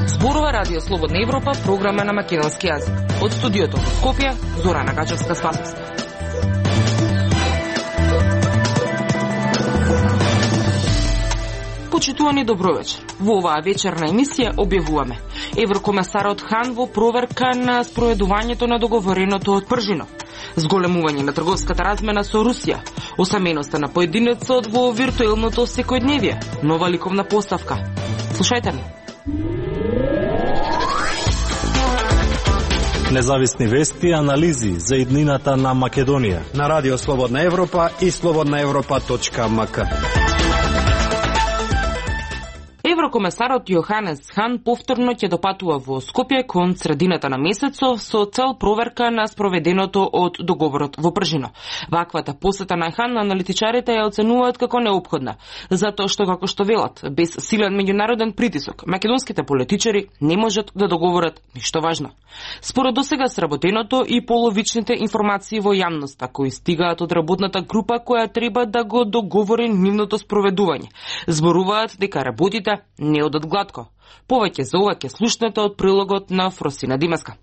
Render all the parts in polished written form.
Зборува Радио Слободна Европа, програма на македонски јазик. Од студиото во Скопје, Зорана Гачевска-Спасовска. Почитувани добровечер. Во оваа вечерна емисија објавуваме: Еврокомесарот Хан во проверка на спроведувањето на договореното од Пржинов, зголемување на трговската размена со Русија, осаменоста на поединецот во виртуелното секојдневие, нова ликовна поставка. Слушајте ни. Независни вести и анализи за иднината на Македонија на Радио Слободна Европа и slobodnaevropa.mk. Еврокомесарот Јоханес Хан повторно ќе допатува во Скопје кон средината на месецов со цел проверка на спроведеното од договорот во Пржино. Ваквата посета на Хан аналитичарите ја оценуваат како неопходна, затоа што, како што велат, без силен меѓународен притисок, македонските политичари не можат да договорат ништо важно. Според досега сработеното и половичните информации во јавноста кои стигаат од работната група која треба да го договори нивното спроведување, зборуваат дека работите не одат гладко. Повеќе за ова ќе слушнете од прилогот на Фросина Димеска.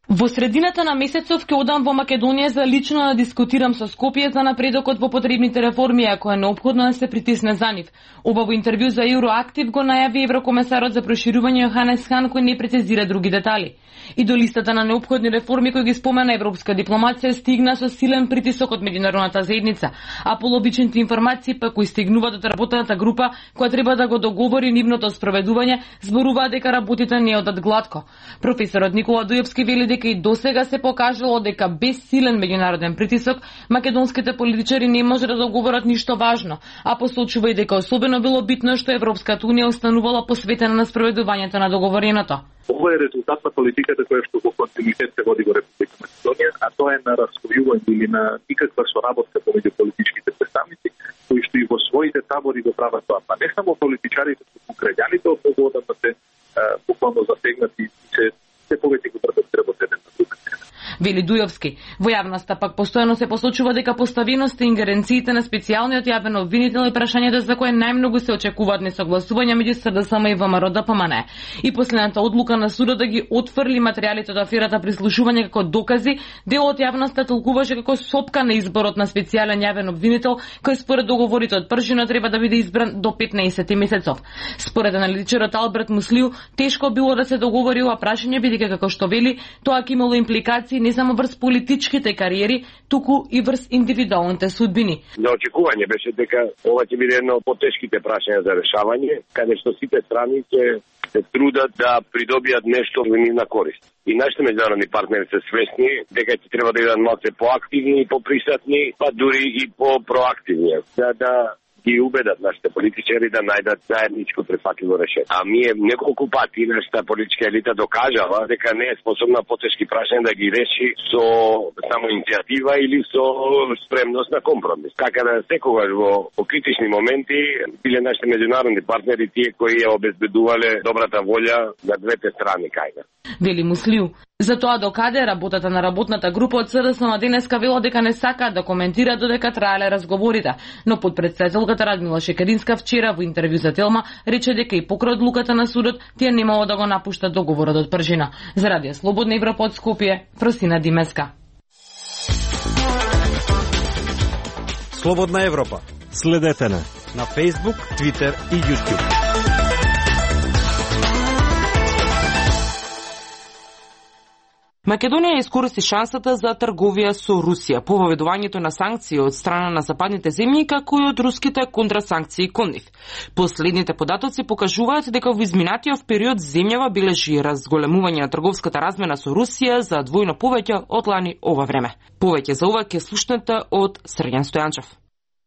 Во средината на месецов ќе одам во Македонија за лично да дискутирам со Скопје за напредокот во потребните реформи, ако е неопходно да се притисне за нив. Ова во интервју за Евроактив го најави еврокомесарот за проширување Јоханес Хан, кој не прецизира други детали. И до листата на неопходни реформи кои ги спомена европска дипломација стигна со силен притисок од меѓународната заедница, а полобичните информации пак кои стигнуваат од работната група која треба да го договори нивното спроведување, зборуваат дека работите не одат гладко. Професорот Никола Дујевски вели дека и досега се покажало дека без силен меѓународен притисок македонските политичари не може да договорат ништо важно, а посочува и дека особено било битно што Европската унија останувала посветена на спроведувањето на договореното. Ова е резултат на политиката која што во континуитет се води во Република Македонија, а тоа е на раскојување или на никаква соработка помеѓу политичките представници, кои што и во своите табори го прават тоа. Па не само политичарите, туку граѓаните од многу одамна се буквално засегнати и се повеќе го трпат работите на друга. Вели Дујовски. Во јавноста пак постојано се посочува дека поставеноста и ингеренциите на специјалниот јавен обвинител е прашањето за кое најмногу се очекуваат несогласувања меѓу СДСМ и ВМРО-ДПМН. И последната одлука на судот да ги отфрли материјалите од аферата прислушување како докази, дел од јавноста толкуваше како сопка на изборот на специјален јавен обвинител, кој според договорите од Пржино треба да биде избран до 15 месецов. Според аналитичарот Алберт Муслиу, тешко било да се договори ова прашање бидејќи како што вели, тоа ќе имало импликации не само врз политичките кариери, туку и врз индивидуалните судбини. За очекување беше дека ова ќе биде едно од потешките прашања за решавање, каде што сите страни ќе се трудат да придобијат нешто во нивна корист. И нашите меѓународни партнери се свесни дека ќе треба да бидат малку поактивни и поприсатни, па дури и попроактивни, да ги убедат нашите политичари да најдат заедничко прифатливо решение. А ние неколку пати нашата политичка елита докажала дека не е способна потешки прашања да ги реши со само иницијатива или со спремност на компромис. Така да секогаш во критични моменти биле нашите меѓународни партнери тие кои ја обезбедувале добрата волја на двете страни кај. Вели Муслиу. За тоа докаде работата на работната група од СДСМ денеска вело дека не сакаат да коментира додека траеле разговорите, но подпредседателката Радмила Шекеринска вчера во интервју за Телма рече дека и покрај одлуката на судот тие немало да го напуштат договорот од Пржина. За Радио Слободна Европа од Скопје, Фросина Димеска. Слободна Европа. Следете на Facebook, Twitter и YouTube. Македонија искористи шансата за трговија со Русија по воведувањето на санкции од страна на западните земји, како и од руските контрасанкции кон нив. Последните податоци покажуваат дека во изминатиот период земјава бележи разголемување на трговската размена со Русија за двојно повеќе од лани ова време. Повеќе за ова ќе слушнете од Срѓан Стојанчев.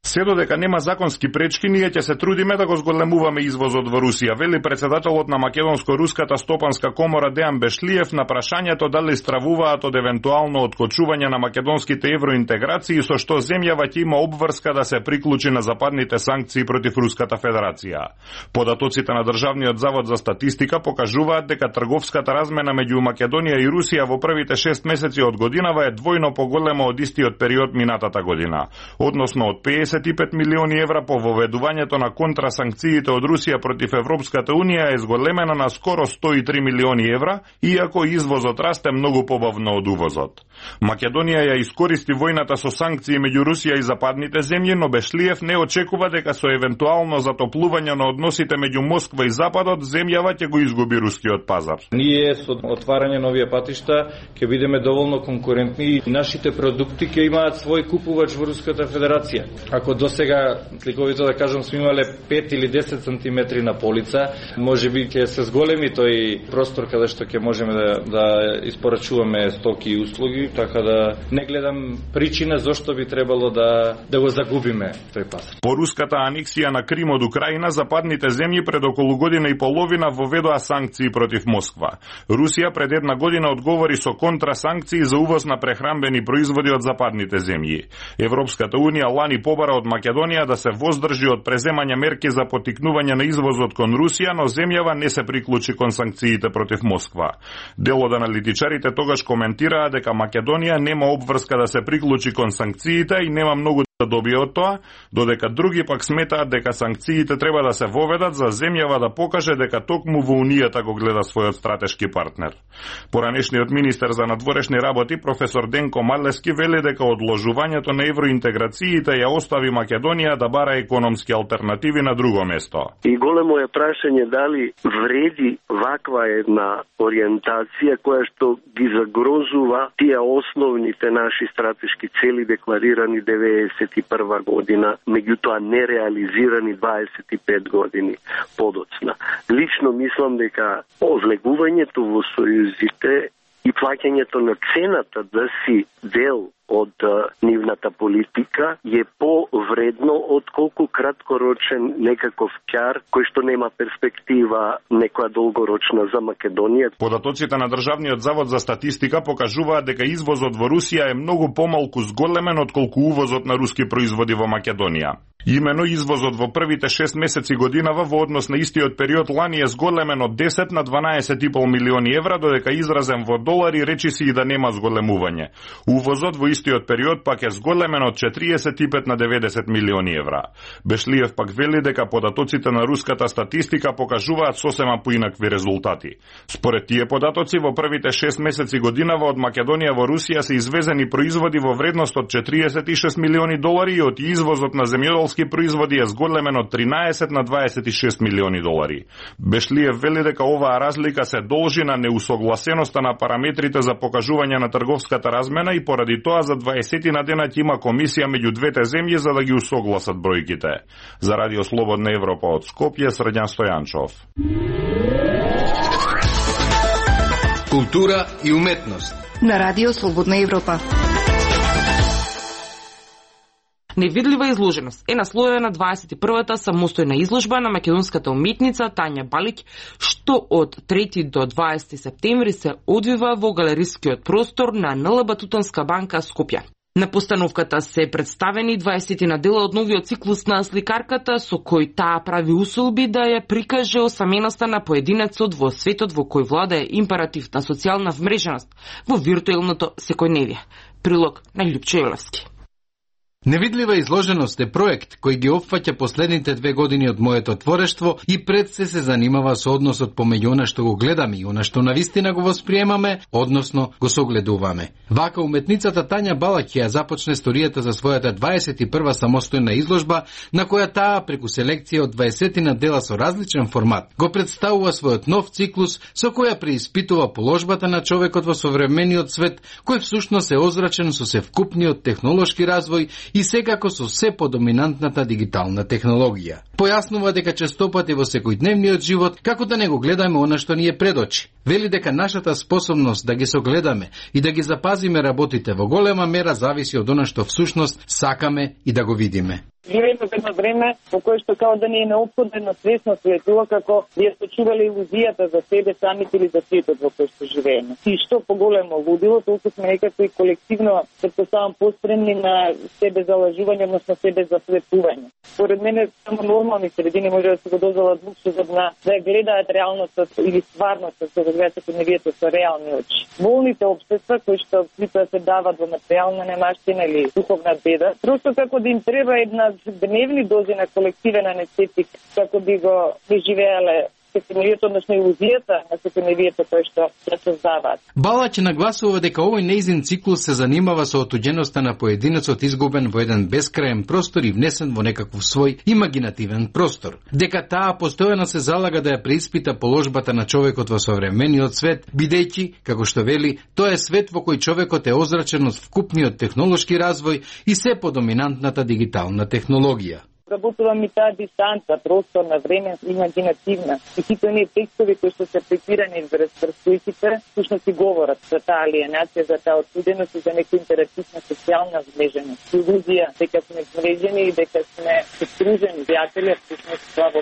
Се додека нема законски пречки, ние ќе се трудиме да го зголемуваме извозот во Русија, вели председателот на Македонско-руската стопанска комора Дејан Бешлиев на прашањето дали стравуваат од евентуално откочување на македонските евроинтеграции, со што земјава ќе има обврска да се приклучи на западните санкции против Руската Федерација. Податоците на Државниот завод за статистика покажуваат дека трговската размена меѓу Македонија и Русија во првите 6 месеци од годинава е двојно поголема од истиот период минатата година, односно од 55 милиони евра по воведувањето на контрасанкциите од Русија против Европската Унија е зголемена на скоро 103 милиони евра, иако извозот расте многу побавно од увозот. Македонија ја искористи војната со санкции меѓу Русија и западните земји, но Бешлиев не очекува дека со евентуално затоплување на односите меѓу Москва и Западот, земјава ќе го изгуби рускиот пазар. Ние со отварање на овие патишта ќе бидеме доволно конкурентни и нашите продукти ќе имаат свој купувач во Руската Федерација. Ако досега, сликовито да кажам, сме имале 5 или 10 сантиметри на полица, можеби ќе се зголеми тој простор каде што ќе можеме да испорачуваме стоки и услуги, така да не гледам причина зошто би требало да го загубиме тој пазар. По руската анексија на Крим од Украина, западните земји пред околу година и половина воведоа санкции против Москва. Русија пред една година одговори со контрасанкции за увоз на прехранбени производи од западните земји. Европската Унија лани побара од Македонија да се воздржи од преземање мерки за поттикнување на извозот кон Русија, но земјава не се приклучи кон санкциите против Москва. Дел од аналитичарите тогаш коментираа дека Македонија нема обврска да се приклучи кон санкциите и нема многу да добие од тоа, додека други пак сметаат дека санкциите треба да се воведат за земјава да покаже дека токму во Унијата го гледа својот стратешки партнер. Поранешниот министер за надворешни работи професор Денко Марлески вели дека одложувањето на евроинтеграциите ја остави Македонија да бара економски алтернативи на друго место. И големо е прашање дали вреди ваква една ориентација која што ги загрозува тие основните наши стратешки цели декларирани 91 година, меѓутоа нереализирани 25 години подоцна. Лично мислам дека влегувањето во сојузите и плаќањето на цената да си дел од нивната политика е повредно отколку краткорочен некаков ќар кој што нема перспектива некоја долгорочна за Македонија. Податоците на Државниот завод за статистика покажуваат дека извозот во Русија е многу помалку зголемен отколку увозот на руски производи во Македонија. Имено извозот во првите 6 месеци годинава во однос на истиот период лани е зголемен од 10 на 12,5 милиони евра, додека изразен во долари речиси и да нема зголемување. Увозот во истиот период пак е зголемен од 45 на 90 милиони евра. Бешлиев пак вели дека податоците на руската статистика покажуваат сосема поинакви резултати. Според тие податоци во првите 6 месеци годинава од Македонија во Русија се извезени производи во вредност од 46 милиони долари и од извозот на земјоделски производи е зголемен од 13 на 26 милиони долари. Бешлиев вели дека оваа разлика се должи на неусогласеноста на параметрите за покажување на трговската размена и поради тоа за 20 на денат има комисија меѓу двете земји за да ги усогласат бројките. За Радио Слободна Европа од Скопје, Срđan Стојанчов. Култура и уметност на Радио Слободна Европа. Невидлива изложеност е насловена 21-та самостојна изложба на македонската уметница Тања Балиќ, што од 3 до 20 септември се одвива во галерискиот простор на НЛБ Тутанска банка Скопје. На постановката се представени 20 на дела од новиот циклус на сликарката, со кој таа прави усолби да ја прикаже осаменоста на поединецот во светот во кој владае императив на социјална вмреженост во виртуелното секојдневие. Прилог на Љупчо Јелевски. Невидлива изложеност е проект кој ги опфаќа последните 2 години од моето творештво и пред се занимава со односот помеѓу она што го гледаме и она што навистина го восприемаме, односно го согледуваме. Вака уметницата Тања Балиќ ја започне историјата за својата 21 самостојна изложба, на која таа преку селекција од 20 на дела со различен формат го представува својот нов циклус со која преиспитува положбата на човекот во современиот свет, кој всушност е озрачен со севкупниот технолошки развој и секако со се подоминантната дигитална технологија. Појаснува дека честопати во секојдневниот живот како да не го гледаме она што ни е пред очи. Вели дека нашата способност да ги согледаме и да ги запазиме работите во голема мера зависи од она што всушност сакаме и да го видиме. Живееме во едно време во кое што као да не е неопходно свесно светува како ја сочувале илузијата за себе самите или за светот во кој што живееме. И што поголемо лудило, толку сме некако и колективно претпоставам постремни на себе залажување, односно себе засветување. Според мене само нормални средини може да се го дозволат луксузот да ја гледаат реалноста или стварноста со секојдневието со реални очи. Болните општества кои што притоа се дават во материјална немаштина или духовна беда, просто како да им треба една дневни дози на колективен анестетик како би го преживеале секојдневието, односно илузијата на секојдневието кој што ја создаваат. Балаќ нагласува дека овој неизин циклус се занимава со отуѓеноста на поединецот изгубен во еден бескраен простор и внесен во некаков свој имагинативен простор. Дека таа постојано се залага да ја преиспита положбата на човекот во современиот свет, бидејќи, како што вели, тоа е свет во кој човекот е озрачен од вкупниот технолошки развој и се подоминантната дигитална технологија. Работувам и таа дистанца, просторна, време, имагинативна. И сите оние текстови кои што се препирани врз стојките, всушност и говорат за таа алиенација, за таа отсуденост и за некоја интерактивна социјална змреженост. Илузија дека сме змрежени и дека сме скружени пријатели, всушност тоа во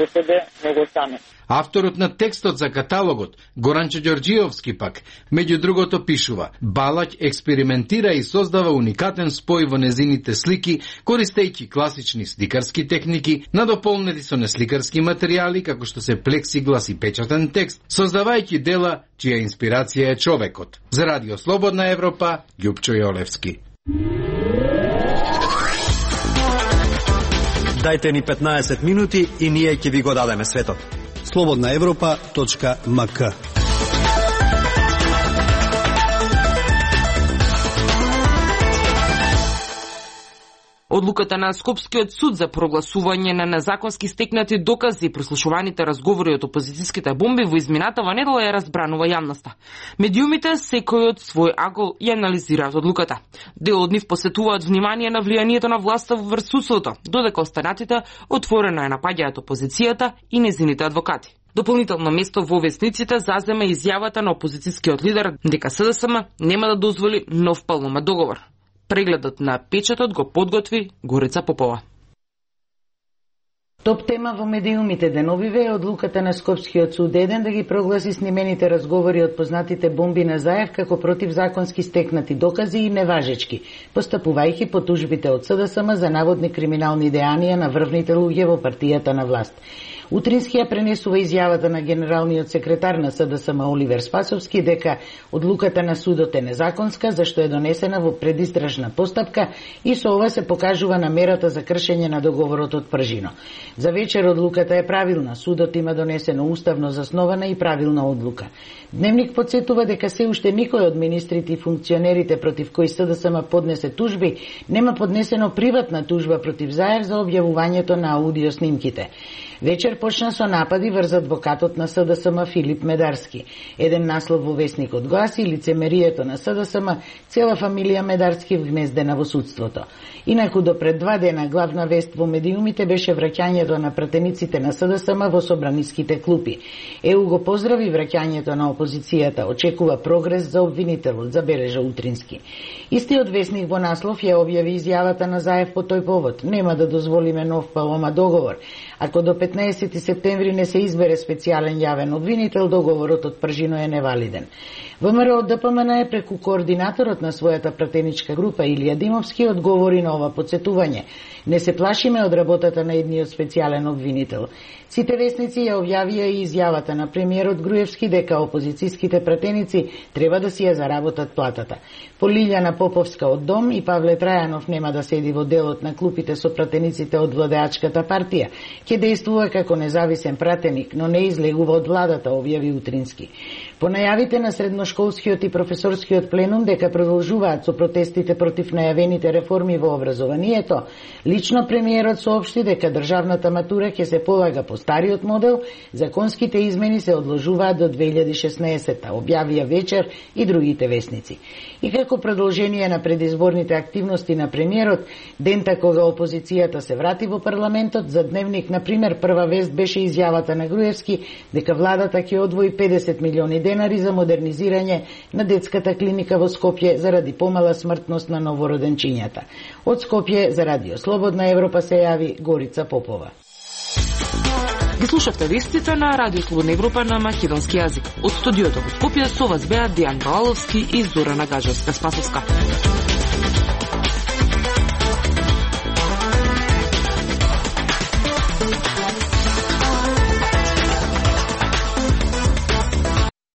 себе многу саме. Авторот на текстот за каталогот, Горанче Ѓорѓиовски пак, меѓу другото пишува: Балаќ експериментира и создава уникатен спој во незините слики, користејќи класични сликарски техники, надополнети со несликарски материјали, како што се плексиглас и печатен текст, создавајќи дела чија инспирација е човекот. За Радио Слободна Европа, Љупчо Јолевски. Дајте ни 15 минути и ние ќе ви го дадеме светот. slobodnaevropa.mk. Одлуката на Скопскиот суд за прогласување на незаконски стекнати докази и прослушуваните разговори од опозицијските бомби во изминатава недела ја разбранува јавноста. Медиумите секој од свој агол ја анализираат одлуката. Дел од нив посетуваат внимание на влијанието на власта врз судството, додека останатите отворено ја напаѓаат опозицијата и незините адвокати. Дополнително место во весниците зазема изјавата на опозицијскиот лидер дека СДСМ нема да дозволи нов палномат договор. Прегледот на печатот го подготви Горица Попова. Топ тема во медиумите деновиве е одлуката на Скопскиот суд еден да ги прогласи снимените разговори од познатите бомби на Заев како противзаконски стекнати докази и неважечки, постапувајќи по тужбите од СДСМ за наводни криминални дејанија на врвните луѓе во партијата на власт. Утрински ја пренесува изјавата на генералниот секретар на СДСМ Оливер Спасовски дека одлуката на судот е незаконска зашто е донесена во предистражна постапка и со ова се покажува намерата за кршење на договорот од Пржино. За вечер одлуката е правилна, судот има донесено уставно заснована и правилна одлука. Дневник подсетува дека се уште никој од министрите и функционерите против кои СДСМ поднесе тужби нема поднесено приватна тужба против Заев за објавувањето на аудио снимките. Вечер почна со напади врз адвокатот на СДСМ Филип Медарски. Еден наслов во весникот гласи: лицемерието на СДСМ, цела фамилија Медарски вгнездена во судството. Инаку до пред 2 дена главна вест во медиумите беше враќањето на пратениците на СДСМ во собраниските клупи. ЕУ го поздрави враќањето на опозицијата, очекува прогрес за обвинителот, забележа Утрински. Истиот весник во наслов ја објави изјавата на Заев по тој повод: нема да дозволиме нов Палома договор. Ако до 15 септември не се избере специјален јавен обвинител, договорот од Пржино е невалиден. ВМРО ДПМН е преку координаторот на својата пратеничка група Илија Димовски одговори на ова подсетување: не се плашиме од работата на едниот специјален обвинител. Сите весници ја објавија и изјавата на премиерот Груевски дека опозицијските пратеници треба да си ја заработат платата. По Лилјана Поповска од Дом и Павле Трајанов нема да седи во делот на клупите со пратениците од владеачката партија. Ќе действува како независен пратеник, но не излегува од владата, објави Утрински. По најавите на средношколскиот и професорскиот пленум дека продолжуваат со протестите против најавените реформи во образованието, Лично премиерот соопшти дека државната матура ќе се полага по стариот модел, законските измени се одложуваат до 2016-та, објавија вечер и другите весници. И како продолжение на предизборните активности на премиерот, дента кога опозицијата се врати во парламентот, за Дневник, например, прва вест беше изјавата на Груевски дека владата ќе одвои 50 милиони денари за модернизирање на детската клиника во Скопје заради помала смртност на новороденчињата. Од Скопје за Радио Слободна Европа се јави Горица Попова. Ги слушавте вестите на Радио Слободна Европа на македонски јазик. Од студиото во Скопје со вас беа Дијан Балаловски и Зорана Гажевска-Спасовска.